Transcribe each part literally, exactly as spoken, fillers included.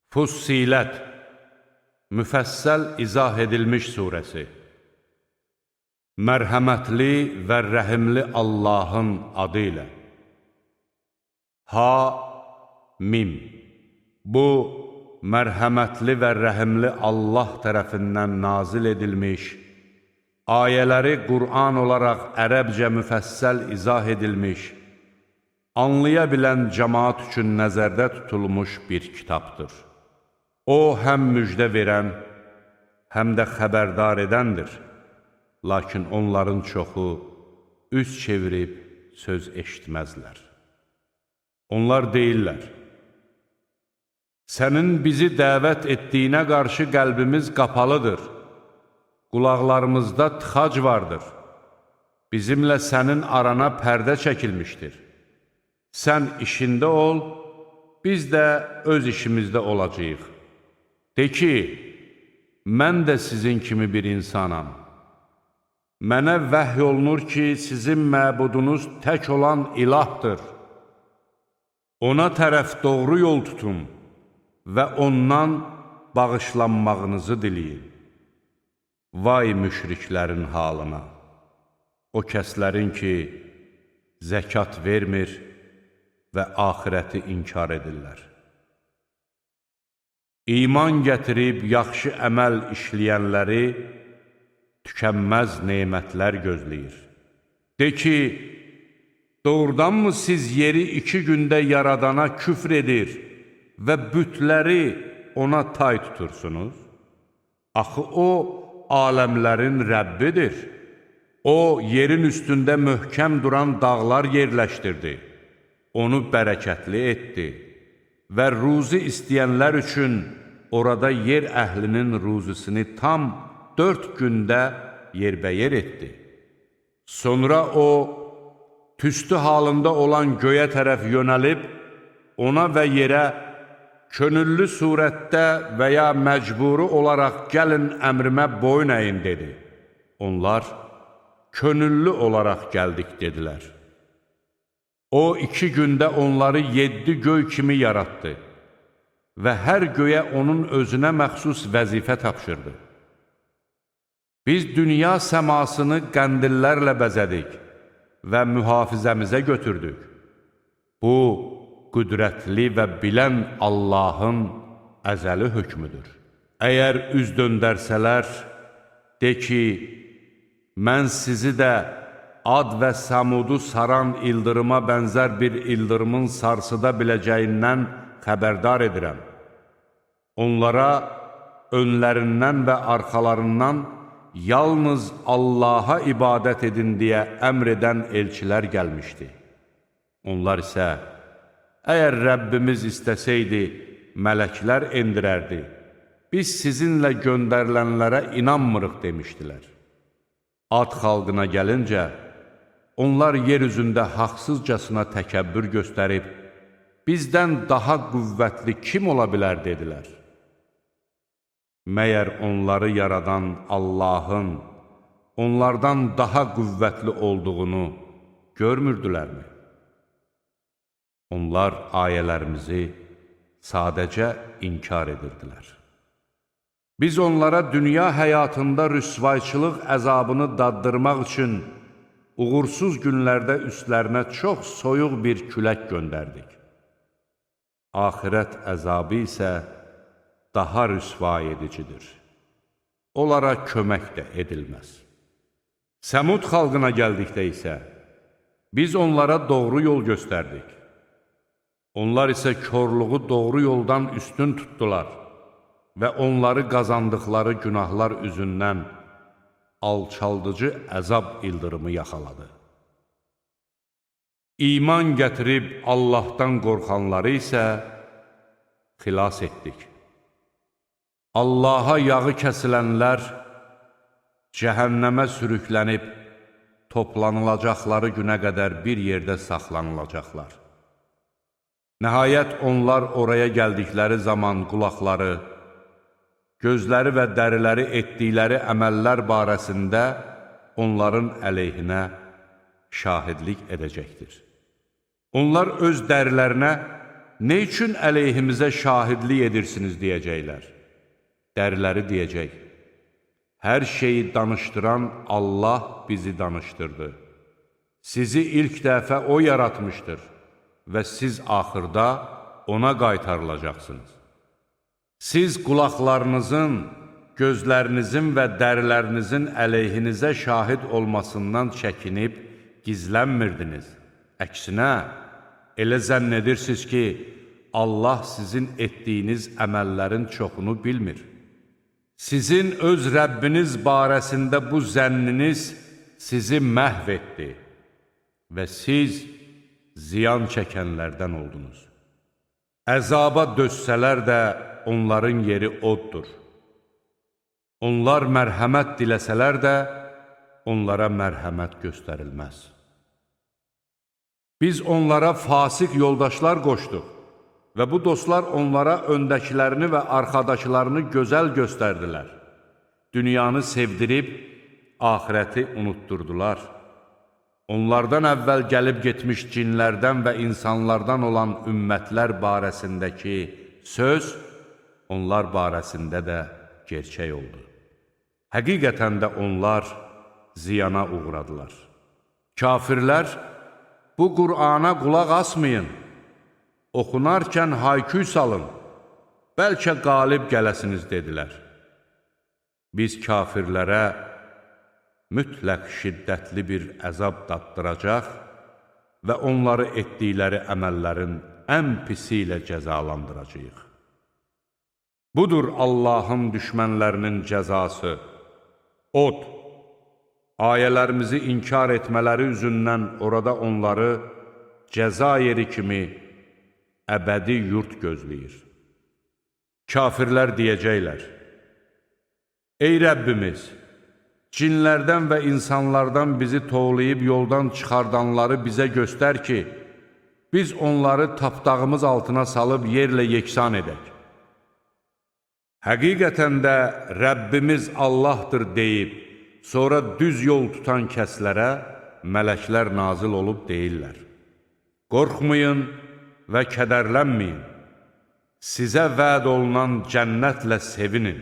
Fussilət, müfəssəl izah edilmiş surəsi. Mərhəmətli və rəhimli Allahın adı ilə. Ha-Mim. Bu, mərhəmətli və rəhimli Allah tərəfindən nazil edilmiş, ayələri Qur'an olaraq ərəbcə müfəssəl izah edilmiş, anlaya bilən cəmaat üçün nəzərdə tutulmuş bir kitabdır. O, həm müjdə verən, həm də xəbərdar edəndir. Lakin onların çoxu üz çevirib söz eşitməzlər. Onlar deyirlər, sənin bizi dəvət etdiyinə qarşı qəlbimiz qapalıdır, qulaqlarımızda tıxac vardır, bizimlə sənin arana pərdə çəkilmişdir. Sən işində ol, biz də öz işimizdə olacağıq. De ki, mən də sizin kimi bir insanam. Mənə vəhy olunur ki, sizin məbudunuz tək olan ilahdır. Ona tərəf doğru yol tutun və ondan bağışlanmağınızı diləyin. Vay müşriklərin halına! O kəslərin ki, zəkat vermir və axirəti inkar edirlər. İman gətirib yaxşı əməl işləyənləri tükənməz nemətlər gözləyir. De ki, doğrudanmı siz yeri iki gündə yaradana küfr edir və bütləri ona tay tutursunuz? Axı o, aləmlərin Rəbbidir. O, yerin üstündə möhkəm duran dağlar yerləşdirdi. Onu bərəkətli etdi və ruzi istəyənlər üçün orada yer əhlinin ruzisini tam dörd gündə yerbəyər etdi. Sonra o, tüstü halında olan göyə tərəf yönəlib, ona və yerə könüllü surətdə və ya məcburi olaraq gəlin əmrimə boyun əyin dedi. Onlar, könüllü olaraq gəldik dedilər. O, iki gündə onları yeddi göy kimi yaratdı və hər göyə onun özünə məxsus vəzifə tapşırdı. Biz dünya səmasını qəndillərlə bəzədik və mühafizəmizə götürdük. Bu, qüdrətli və bilən Allahın əzəli hökmüdür. Əgər üz döndərsələr, de ki, mən sizi də Ad və Səmudu saran ildırıma bənzər bir ildırımın sarsıda biləcəyindən xəbərdar edirəm. Onlara önlərindən və arxalarından yalnız Allaha ibadət edin deyə əmr edən elçilər gəlmişdi. Onlar isə, əgər Rəbbimiz istəsəydi, mələklər endirərdi, biz sizinlə göndərilənlərə inanmırıq demişdilər. Ad xalqına gəlincə, onlar yer üzündə haqsızcasına təkəbbür göstərib, bizdən daha qüvvətli kim ola bilər dedilər. Məyər onları yaradan Allahın onlardan daha qüvvətli olduğunu görmürdülərmi? Onlar ayələrimizi sadəcə inkar edirdilər. Biz onlara dünya həyatında rüsvayçılıq əzabını daddırmaq üçün uğursuz günlərdə üstlərinə çox soyuq bir külək göndərdik. Axirət əzabı isə daha rüsvay edicidir. Onlara kömək də edilməz. Səmud xalqına gəldikdə isə, biz onlara doğru yol göstərdik. Onlar isə körluğu doğru yoldan üstün tutdular və onları qazandıqları günahlar üzündən alçaldıcı əzab ildırımı yaxaladı. İman gətirib Allahdan qorxanları isə xilas etdik. Allaha yağı kəsilənlər cəhənnəmə sürüklənib toplanılacaqları günə qədər bir yerdə saxlanılacaqlar. Nəhayət onlar oraya gəldikləri zaman qulaqları, gözləri və dəriləri etdikləri əməllər barəsində onların əleyhinə şahidlik edəcəkdir. Onlar öz dərilərinə nə üçün əleyhimizə şahidlik edirsiniz deyəcəklər. Dəriləri deyəcək, hər şeyi danışdıran Allah bizi danışdırdı. Sizi ilk dəfə O yaratmışdır və siz axırda Ona qaytarılacaqsınız. Siz qulaqlarınızın, gözlərinizin və dərilərinizin əleyhinizə şahid olmasından çəkinib, gizlənmirdiniz. Əksinə, elə zənn edirsiniz ki, Allah sizin etdiyiniz əməllərin çoxunu bilmir. Sizin öz Rəbbiniz barəsində bu zənniniz sizi məhv etdi və siz ziyan çəkənlərdən oldunuz. Əzaba dözsələr də onların yeri oddur. Onlar mərhəmət diləsələr də onlara mərhəmət göstərilməz. Biz onlara fasiq yoldaşlar qoşduq və bu dostlar onlara öndəkilərini və arxadakılarını gözəl göstərdilər. Dünyanı sevdirib, axirəti unutturdular. Onlardan əvvəl gəlib getmiş cinlərdən və insanlardan olan ümmətlər barəsindəki söz, onlar barəsində də gerçək oldu. Həqiqətən də onlar ziyana uğradılar. Kafirlər, bu Qur'ana qulaq asmayın, oxunarkən hayküy salın, bəlkə qalib gələsiniz dedilər. Biz kafirlərə mütləq şiddətli bir əzab daddıracaq və onları etdikləri əməllərin ən pisi ilə cəzalandıracaq. Budur Allahın düşmənlərinin cəzası. Od, ayələrimizi inkar etmələri üzündən orada onları cəza yeri kimi əbədi yurt gözləyir. Kafirlər deyəcəklər, ey Rəbbimiz, cinlərdən və insanlardan bizi toğlayıb yoldan çıxardanları bizə göstər ki, biz onları tapdağımız altına salıb yerlə yeksan edək. Həqiqətən də Rəbbimiz Allahdır deyib, sonra düz yol tutan kəslərə mələklər nazil olub deyirlər. Qorxmayın və kədərlənməyin, sizə vəd olunan cənnətlə sevinin.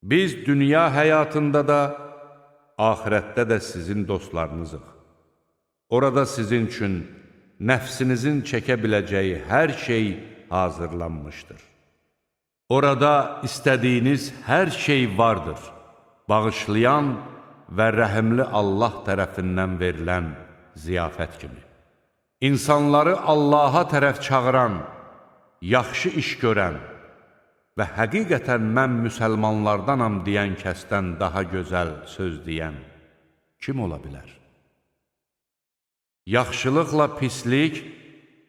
Biz dünya həyatında da, axirətdə də sizin dostlarınızıq. Orada sizin üçün nəfsinizin çəkə biləcəyi hər şey hazırlanmışdır. Orada istədiyiniz hər şey vardır, bağışlayan və rəhimli Allah tərəfindən verilən ziyafət kimi. İnsanları Allaha tərəf çağıran, yaxşı iş görən və həqiqətən mən müsəlmanlardanam deyən kəsdən daha gözəl söz deyən kim ola bilər? Yaxşılıqla pislik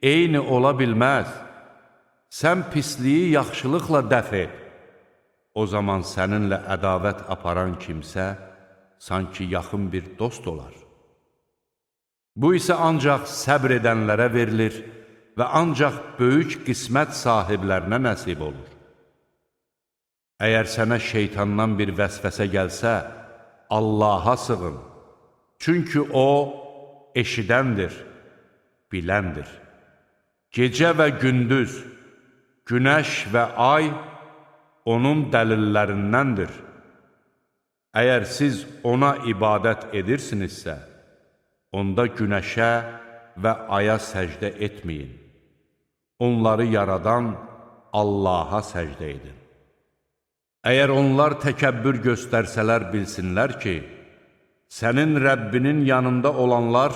eyni ola bilməz. Sən pisliyi yaxşılıqla dəf et. O zaman səninlə ədavət aparan kimsə sanki yaxın bir dost olar. Bu isə ancaq səbr edənlərə verilir və ancaq böyük qismət sahiblərinə nəsib olur. Əgər sənə şeytandan bir vəsvəsə gəlsə, Allaha sığın. Çünki O eşidəndir, biləndir. Gecə və gündüz, günəş və ay onun dəlillərindəndir. Əgər siz ona ibadət edirsinizsə, onda günəşə və aya səcdə etməyin. Onları yaradan Allaha səcdə edin. Əgər onlar təkəbbür göstərsələr bilsinlər ki, sənin Rəbbinin yanında olanlar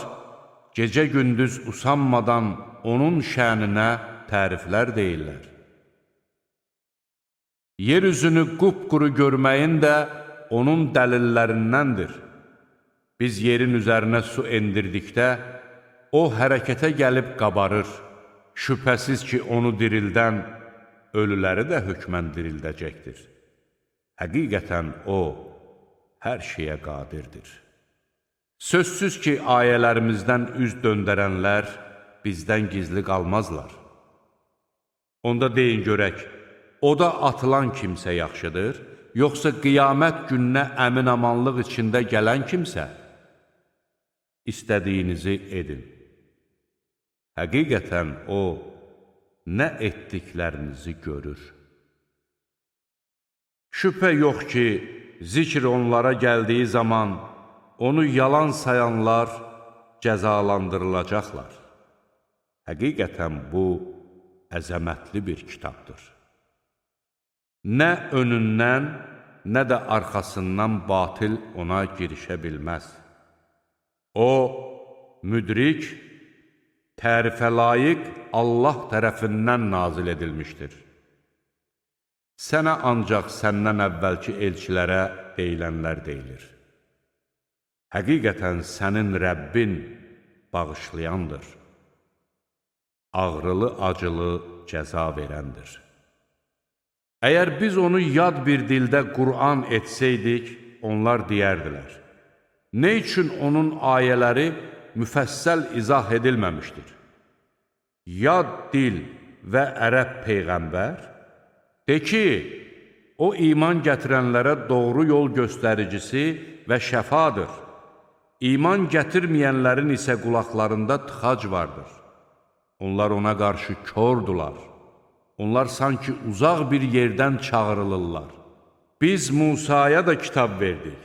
gecə-gündüz usanmadan onun şəninə təriflər deyirlər. Yer üzünü qupquru görməyin də onun dəlillərindəndir. Biz yerin üzərinə su endirdikdə, o hərəkətə gəlib qabarır. Şübhəsiz ki, onu dirildən, ölüləri də hökmən dirildəcəkdir. Həqiqətən O, hər şeyə qadirdir. Sözsüz ki, ayələrimizdən üz döndərənlər bizdən gizli qalmazlar. Onda deyin görək, oda atılan kimsə yaxşıdır, yoxsa qiyamət gününə əmin-amanlıq içində gələn kimsə? İstədiyinizi edin. Həqiqətən O, nə etdiklərinizi görür. Şübhə yox ki, zikr onlara gəldiyi zaman onu yalan sayanlar cəzalandırılacaqlar. Həqiqətən bu əzəmətli bir kitabdır. Nə önündən, nə də arxasından batil ona girişə bilməz. O, müdrik, tərifə layiq Allah tərəfindən nazil edilmişdir. Sənə ancaq səndən əvvəlki elçilərə deyilənlər deyilir. Həqiqətən sənin Rəbbin bağışlayandır, ağrılı-acılı cəza verəndir. Əgər biz onu yad bir dildə Qur'an etsəydik, onlar deyərdilər. Nə üçün onun ayələri müfəssəl izah edilməmişdir? Yad dil və ərəb peyğəmbər, de ki, o iman gətirənlərə doğru yol göstəricisi və şəfadır. İman gətirməyənlərin isə qulaqlarında tıxac vardır. Onlar ona qarşı kordular. Onlar sanki uzaq bir yerdən çağırılırlar. Biz Musaya da kitab verdik.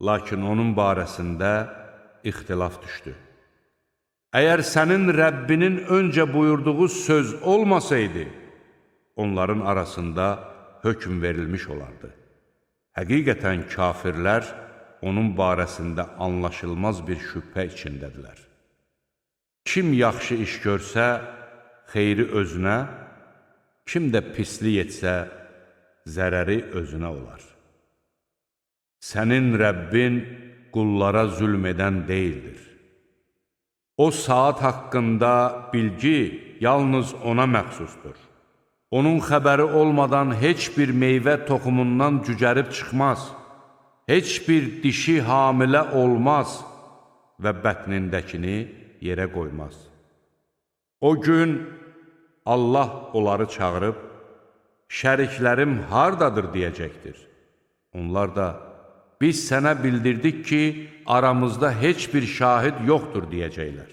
Lakin onun barəsində ixtilaf düşdü. Əgər sənin Rəbbinin öncə buyurduğu söz olmasaydı, onların arasında hökm verilmiş olardı. Həqiqətən kafirlər onun barəsində anlaşılmaz bir şübhə içindədirlər. Kim yaxşı iş görsə, xeyri özünə, kim də pislik etsə, zərəri özünə olar. Sənin Rəbbin qullara zülm edən deyildir. O saat haqqında bilgi yalnız ona məxsusdur. Onun xəbəri olmadan heç bir meyvə toxumundan cücərib çıxmaz, heç bir dişi hamilə olmaz və bətnindəkini yerə qoymaz. O gün Allah onları çağırıb, şəriklərim hardadır deyəcəkdir. Onlar da, biz sənə bildirdik ki, aramızda heç bir şahid yoxdur deyəcəklər.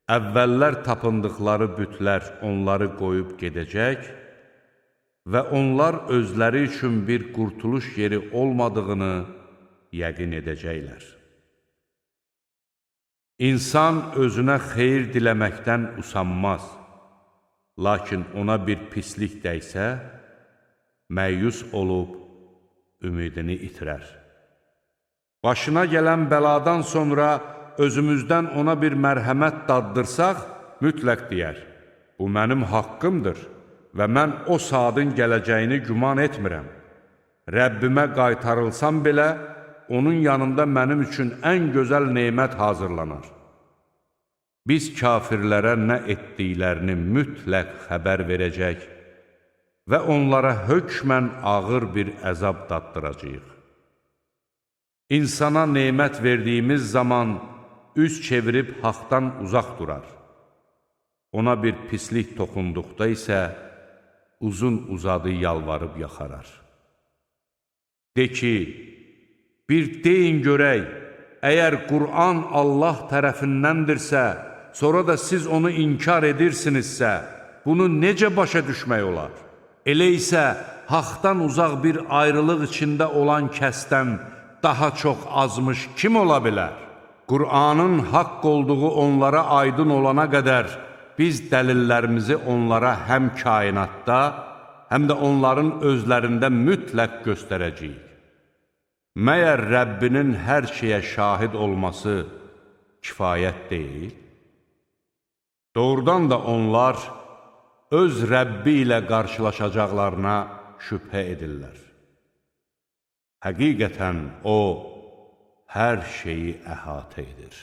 Əvvəllər tapındıqları bütlər onları qoyub gedəcək və onlar özləri üçün bir qurtuluş yeri olmadığını yəqin edəcəklər. İnsan özünə xeyir diləməkdən usanmaz, lakin ona bir pislik dəysə, məyus olub ümidini itirər. Başına gələn bəladan sonra özümüzdən ona bir mərhəmət daddırsaq, mütləq deyər, bu mənim haqqımdır və mən o saatın gələcəyini güman etmirəm. Rəbbimə qaytarılsam belə, onun yanında mənim üçün ən gözəl nemət hazırlanar. Biz kafirlərə nə etdiklərini mütləq xəbər verəcək və onlara hökmən ağır bir əzab daddıracağıq. İnsana nemət verdiyimiz zaman üz çevirib haqdan uzaq durar. Ona bir pislik toxunduqda isə uzun-uzadı yalvarıb yaxarar. De ki, bir deyin görək, əgər Qur'an Allah tərəfindəndirsə, sonra da siz onu inkar edirsinizsə, bunu necə başa düşmək olar? Elə isə haqdan uzaq bir ayrılıq içində olan kəsdən daha çox azmış kim ola bilər? Qur'anın haqq olduğu onlara aydın olana qədər biz dəlillərimizi onlara həm kainatda, həm də onların özlərində mütləq göstərəcəyik. Məyər Rəbbinin hər şeyə şahid olması kifayət deyil? Doğrudan da onlar öz Rəbbi ilə qarşılaşacaqlarına şübhə edirlər. Həqiqətən O, hər şeyi əhatə edir.